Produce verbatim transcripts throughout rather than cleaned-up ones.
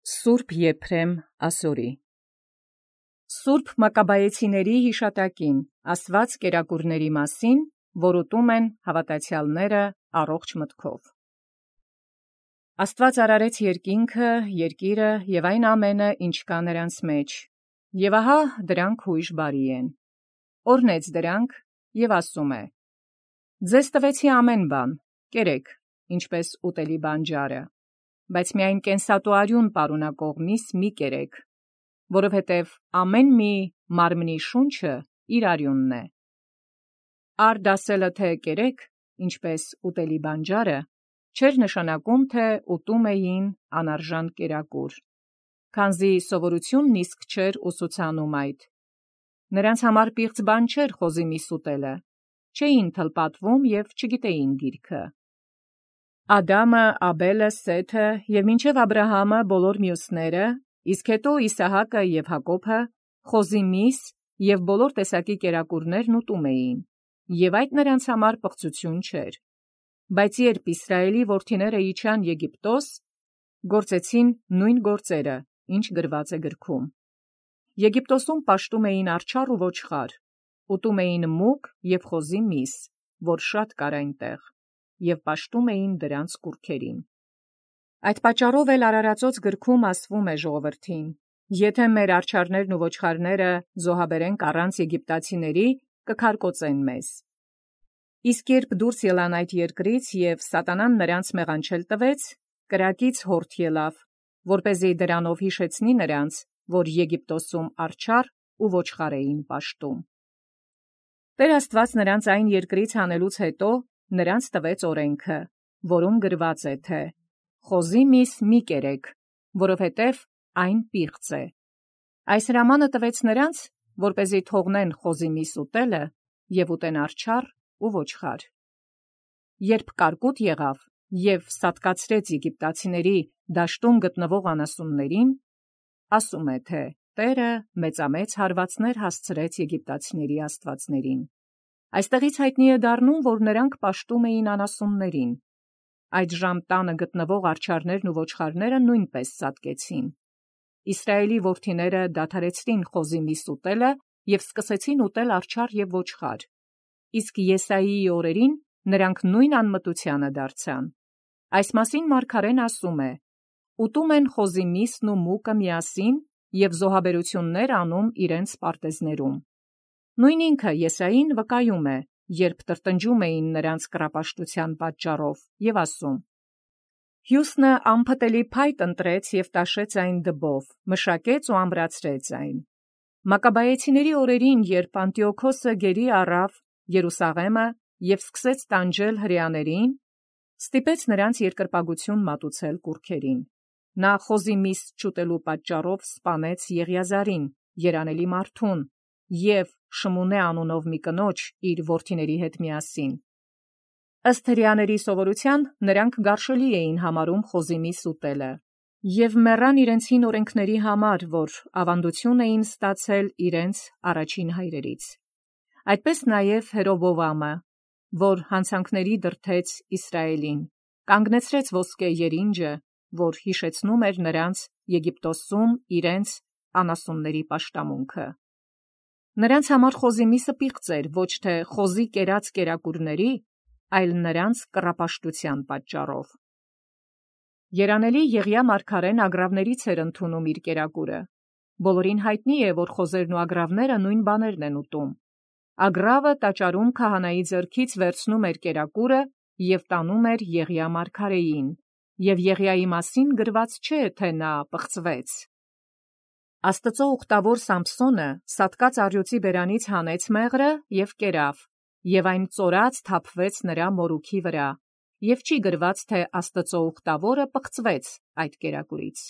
Սուրբ Եփրեմ ասորի Սուրբ Մակաբայեցիների հիշատակին ասված կերակուրների մասին, որ ուտում են հավատացյալները առողջ մտքով։ Աստված արարեց երկինքը, երկիրը և այն ամենը, ինչ կա նրանց մեջ, և ահա դրանք հույժ բարի են։ Օրհնեց դրանք և ասում է. ձեզ տվեցի ամեն բան, կերեք, ինչպես ուտելի բանջարը, բայց միայն կենսատու արյուն պարունակող միս մի կերեք, որովհետև ամեն մի մարմնի շունչը իր արյունն է։ Առ դասելը թե կերեք, ինչպես ուտելի բանջարը, չէր նշանակում, թե ուտում էին անարժան կերակուր, քանզի սովորությունն իսկ չէր ուսուցանում այդ։ Նրանց համար պիղծ բան չէր խոզի միս ուտելը, չէին թլպատվում և չգիտեին գիրքը։ Ադամը, Աբելը, Սեթը և մինչև Աբրահամը բոլոր մյուսները, իսկ հետո Իսահակը և Հակոբը խոզի միս և բոլոր տեսակի կերակուրներն ուտում էին, և այդ նրանց համար պղծություն չէր։ Բայց երբ Իսրայելի որդիները իջան Եգիպտոս, գործեցին նույն գործերը, ինչ գրված է գրքում։ Եգիպտոսում պաշտում էին արջառ ու ոչխար, ուտում էին մուկ և խոզի միս, որ շատ կար այնտեղ, և պաշտում էին դրանց կուռքերին։ Այդ պատճառով էլ Արարածոց գրքում ասվում է ժողովրդին. «Եթե մեր արջառներն ու ոչխարները զոհաբերենք առանց եգիպտացիների, կքարկոծեն մեզ»։ Իսկ երբ դուրս ելան այդ երկրից և սատանան նրանց մեղանչել տվեց, կրակից հորթ ելավ, որպեսզի դրանով հիշեցնի նրանց, որ Եգիպտոսում արջառ ու ոչխար էին պաշտում։ Տեր Աստված նրանց այն երկրից հանելուց հետո նրանց տվեց օրենքը, որում գրված է, թե «Խոզի միս մի կերեք, որովհետև այն պիղծ է»։ Այս հրամանը տվեց նրանց, որպեսզի թողնեն խոզի միս ուտելը և ուտեն արջառ ու ոչխար։ Երբ կարկուտ եղավ և սատկացրեց եգիպտացիների դաշտում գտնվող անասուններին, ասում է, թե Տերը մեծամեծ հարվածներ հասցրեց եգիպտացիների աստվածներին։ Այստեղից հայտնի է դառնում, որ նրանք պաշտում էին անասուններին։ Այդժամ տանը գտնվող արջառներն ու ոչխարները նույնպես սատկեցին։ Իսրայելի որդիները դադարեցրին խոզի միս ուտելը և սկսեցին ուտել արջառ և ոչխար։ Իսկ Եսայիի օրերին նրանք նույն անմտությանը դարձան։ Այս մասին մարգարեն ասում է. «Ուտում են խոզի միսն ու մուկը միասին և զոհաբերություններ անում իրենց պարտեզներում»։ Նույն ինքը Եսային վկայում է, երբ տրտնջում էին նրանց կռապաշտության պատճառով, և ասում. «Հյուսնը անփտելի փայտ ընտրեց և տաշեց այն դբով, մշակեց ու ամրացրեց այն»։ Մակաբայեցիների օրերին, երբ Անտիոքոսը գերի առավ Երուսաղեմը և սկսեց տանջել հրեաներին, ստիպեց նրանց երկրպագություն մատուցել կուռքերին։ Նա խոզի միս չուտելու պատճառով սպանեց Եղիազարին, երանելի մարդուն, և Շմունե անունով մի կնոջ իր որդիների հետ միասին։ Ըստ հրեաների սովորության, նրանք գարշելի էին համարում խոզի միս ուտելը, և մեռան իրենց հին օրենքների համար, որ ավանդություն էին ստացել իրենց առաջին հայրերից։ Այդպես նաև Հերովովամը, որ հանցանքների դրդեց Իսրայելին, կանգնեցրեց ոսկե երինջը, որ հիշեցնում էր նրանց Եգիպտոսում իրենց անասունների պաշտամունքը։ Նրանց համար խոզի միսը պիղծ էր ոչ թե խոզի կերած կերակուրների, այլ նրանց կռապաշտության պատճառով։ Երանելի Եղիա մարգարեն ագռավներից էր ընդունում իր կերակուրը։ Բոլորին հայտնի է, որ խոզերն ու ագռավները նույն բաներն են ուտում։ Ագռավը տաճարում քահանայի ձեռքից վերցնում էր կերակուրը և տանում էր Եղիա մարգարեին, և Եղիայի մասին գրված չէ, թե նա պղծվեց։ Աստծո ուխտավոր Սամփսոնը սատկած առյուծի բերանից հանեց մեղրը և կերավ, և այն ծորած թափվեց նրա մորուքի վրա, և չի գրված, թե Աստծո ուխտավորը պղծվեց այդ կերակուրից։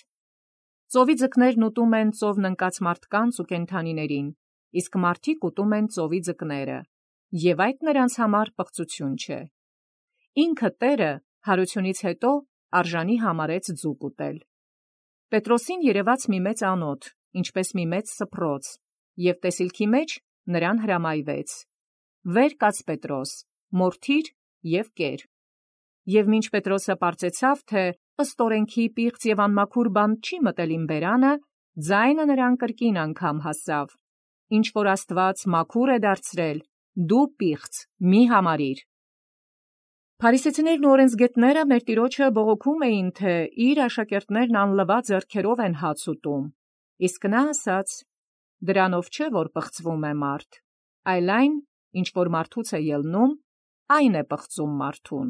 Ծովի ձկներն ուտում են ծովն ընկած մարդկանց ու կենդանիներին, իսկ մարդիկ ուտում են ծովի ձկները, և այդ նրանց համար պղծություն չէ։ Ինքը Տերը հարությունից հետո արժանի համարեց ձուկ ուտել։ Պետրոսին երևաց մի մեծ անոթ, ինչպես մի մեծ սփռոց, և տեսիլքի մեջ նրան հրամայվեց. «Վեր կաց Պետրոս, մորթիր և կեր»։ Եվ մինչ Պետրոսը պարծեցավ, թե ըստ օրենքի պիղծ եւ անմաքուր բան չի մտել իմ բերանը, ձայնը նրան կրկին անգամ հասավ. ինչ որ Աստված մաքուր է դարձրել, դու պիղծ մի համարիր։ Փարիսեցիներն ու օրենսգետները մեր Տիրոջը բողոքում էին, թե իր աշակերտներն անլվա ձեռքերով են հաց ուտում, իսկ նա ասաց. դրանով չէ, որ պղծվում է մարդ, այլ այն, ինչ որ մարդուց է ելնում, այն է պղծում մարդուն։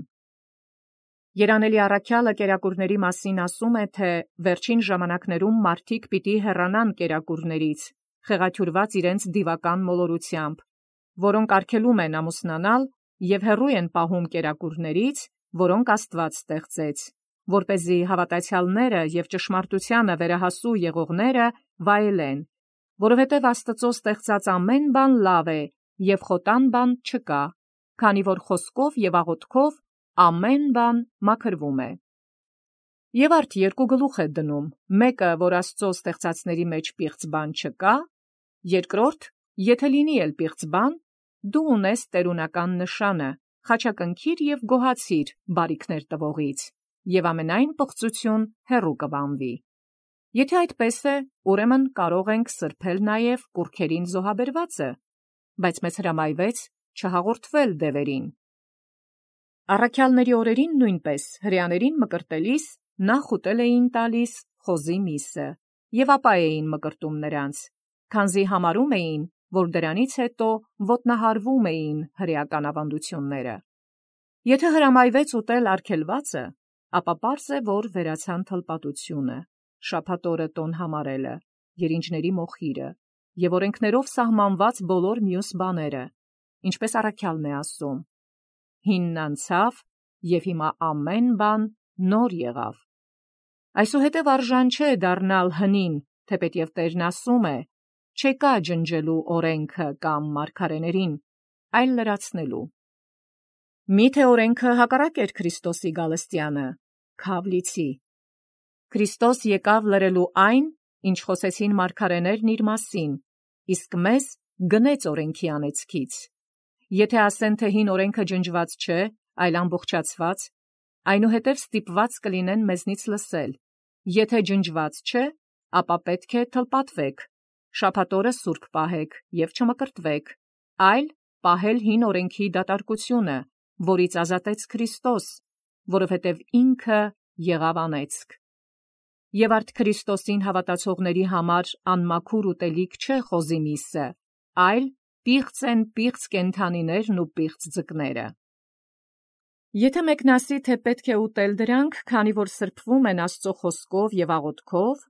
Երանելի առաքյալը կերակուրների մասին ասում է, թե վերջին ժամանակներում մարդիկ պիտի հեռանան կերակուրներից, խեղաթյուրված իրենց դիվական մոլորությամբ, որոնք արգելում են ամուսնանալ և հեռու են պահում կերակուրներից, որոնք Աստված ստեղծեց, որպեսզի հավատացյալները և ճշմարտությանը վերահասու եղողները վայելեն, որովհետև Աստծո ստեղծած ամեն բան լավ է, և խոտան բան չկա, քանի որ խոսքով և աղոթքով ամեն բան մաքրվում է։ Եվ արդ երկու գլուխ է դնում, մեկը, որ Աստծո ստեղծածների մեջ պիղծ բան չկա, երկրորդ, եթե լինի էլ պիղծ բան, դու ունես տերունական նշանը, խաչակնքիր և գոհացիր բարիքներ տվողից, և ամենայն պղծություն հեռու կվանվի։ Եթե այդպես է, ուրեմն կարող ենք սրբել նաև կուռքերին զոհաբերվածը, բայց մեզ հրամայվեց չհաղորդվել դևերին։ Առաքյալների օրերին նույնպես հրեաներին մկրտելիս նախ ուտել էին տալիս խոզի միսը, և ապա էին մկրտում նրանց, քանզի համարում էին, որ դրանից հետո ոտնահարվում էին հրեական ավանդությունները։ Եթե հրամայվեց ուտել արգելվածը, ապա պարզ է, որ վերացան թլպատությունը, շաբաթ օրը տոն համարելը, երինջների մոխիրը և օրենքներով սահմանված բոլոր մյուս բաները, ինչպես առաքյալն է ասում. հինն անցավ, և հիմա ամեն բան նոր եղավ։ Այսուհետև արժան չէ դառնալ հնին, թեպետև Տերն ասում է. չեկա ջնջելու օրենքը կամ մարգարեներին, այլ լրացնելու։ Միթե օրենքը հակառակ էր Քրիստոսի գալստյանը, քավ լիցի։ Քրիստոս եկավ լրելու այն, ինչ խոսեցին մարգարեներն իր մասին, իսկ մեզ գնեց օրենքի անեծքից։ Եթե ասեն, թե հին օրենքը ջնջված չէ, այլ ամբողջացված, այնուհետև ստիպված կլինեն մեզնից լսել. եթե ջնջված չէ, ապա պետք է թլպատվեք, շաբաթ օրը սուրբ պահեք և չմկրտվեք, այլ պահել հին օրենքի դատարկությունը, որից ազատեց Քրիստոս, որովհետև ինքը եղավ անեծք։ Եվ արդ Քրիստոսին հավատացողների համար անմաքուր ուտելիք չէ խոզի միսը, այլ պիղծ են պիղծ կենդանիներն ու պիղծ ձկները։ Եթե մեկն ասի, թե պետք է ուտել դրանք, քանի որ սրբվում են Աստծո խոսքով և աղոթքով,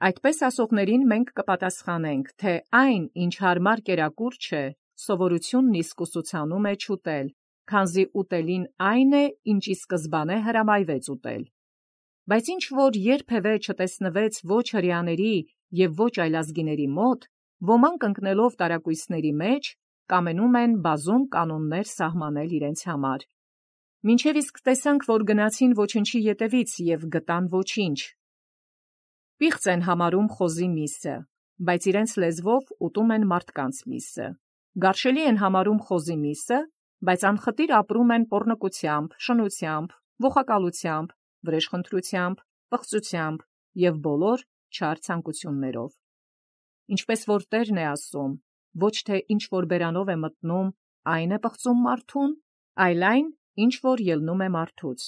այդպես ասողներին մենք կպատասխանենք, թե այն, ինչ հարմար կերակուր չէ, սովորությունն իսկ ուսուցանում է չուտել, քանզի ուտելին այն է, ինչ ի սկզբանե հրամայվեց ուտել։ Բայց ինչ որ երբևէ չտեսնվեց ոչ հրեաների և ոչ այլազգիների մոտ, ոմանք ընկնելով տարակույսների մեջ, կամենում են բազում կանոններ սահմանել իրենց համար։ Մինչև իսկ տեսանք, որ գնացին ոչնչի ետևից և գտան ոչինչ։ Պիղծ են համարում խոզի միսը, բայց իրենց լեզվով ուտում են մարդկանց միսը։ Գարշելի են համարում խոզի միսը, բայց անխտիր ապրում են պոռնկությամբ, շնությամբ, ոխակալությամբ, վրեժխնդրությամբ, պղծությամբ և բոլոր չար ցանկություններով։ Ինչպես որ Տերն է ասում, ոչ թե ինչ որ բերանով է մտնում, այն է պղծում մարդուն, այլ այն, ինչ որ ելնում է մարդուց։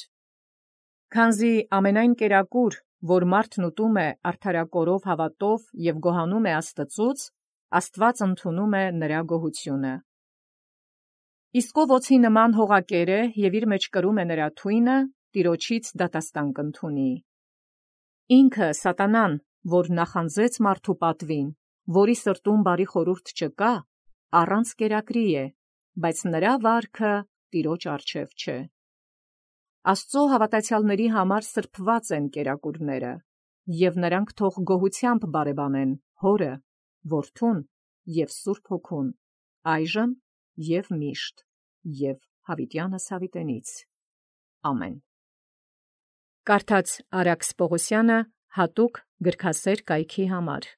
Քանզի ամենայն կերակուր, որ մարդն ուտում է արդարակորով հավատով և գոհանում է Աստծուց, Աստված ընդունում է նրա գոհությունը։ Իսկ ով օձի նման հողակեր է և իր մեջ կրում է նրա թույնը, Տիրոջից դատաստան կընդունի։ Ինքը սատանան, որ նախանձեց մարդու պատվին, որի սրտում բարի խորհուրդ չկա, առանց կերակրի է, բայց նրա վարքը Տիրոջ առջև չէ։ Աստծո հավատացյալների համար սրբված են կերակուրները, և նրանք թող գոհությամբ բարևանեն Հորը, Որդուն և Սուրբ Հոգուն, այժմ և միշտ և հավիտյանս հավիտենից։ Ամեն։ Կարդաց Արաքս Պողոսյանը հատուկ գրքասեր կայքի համար։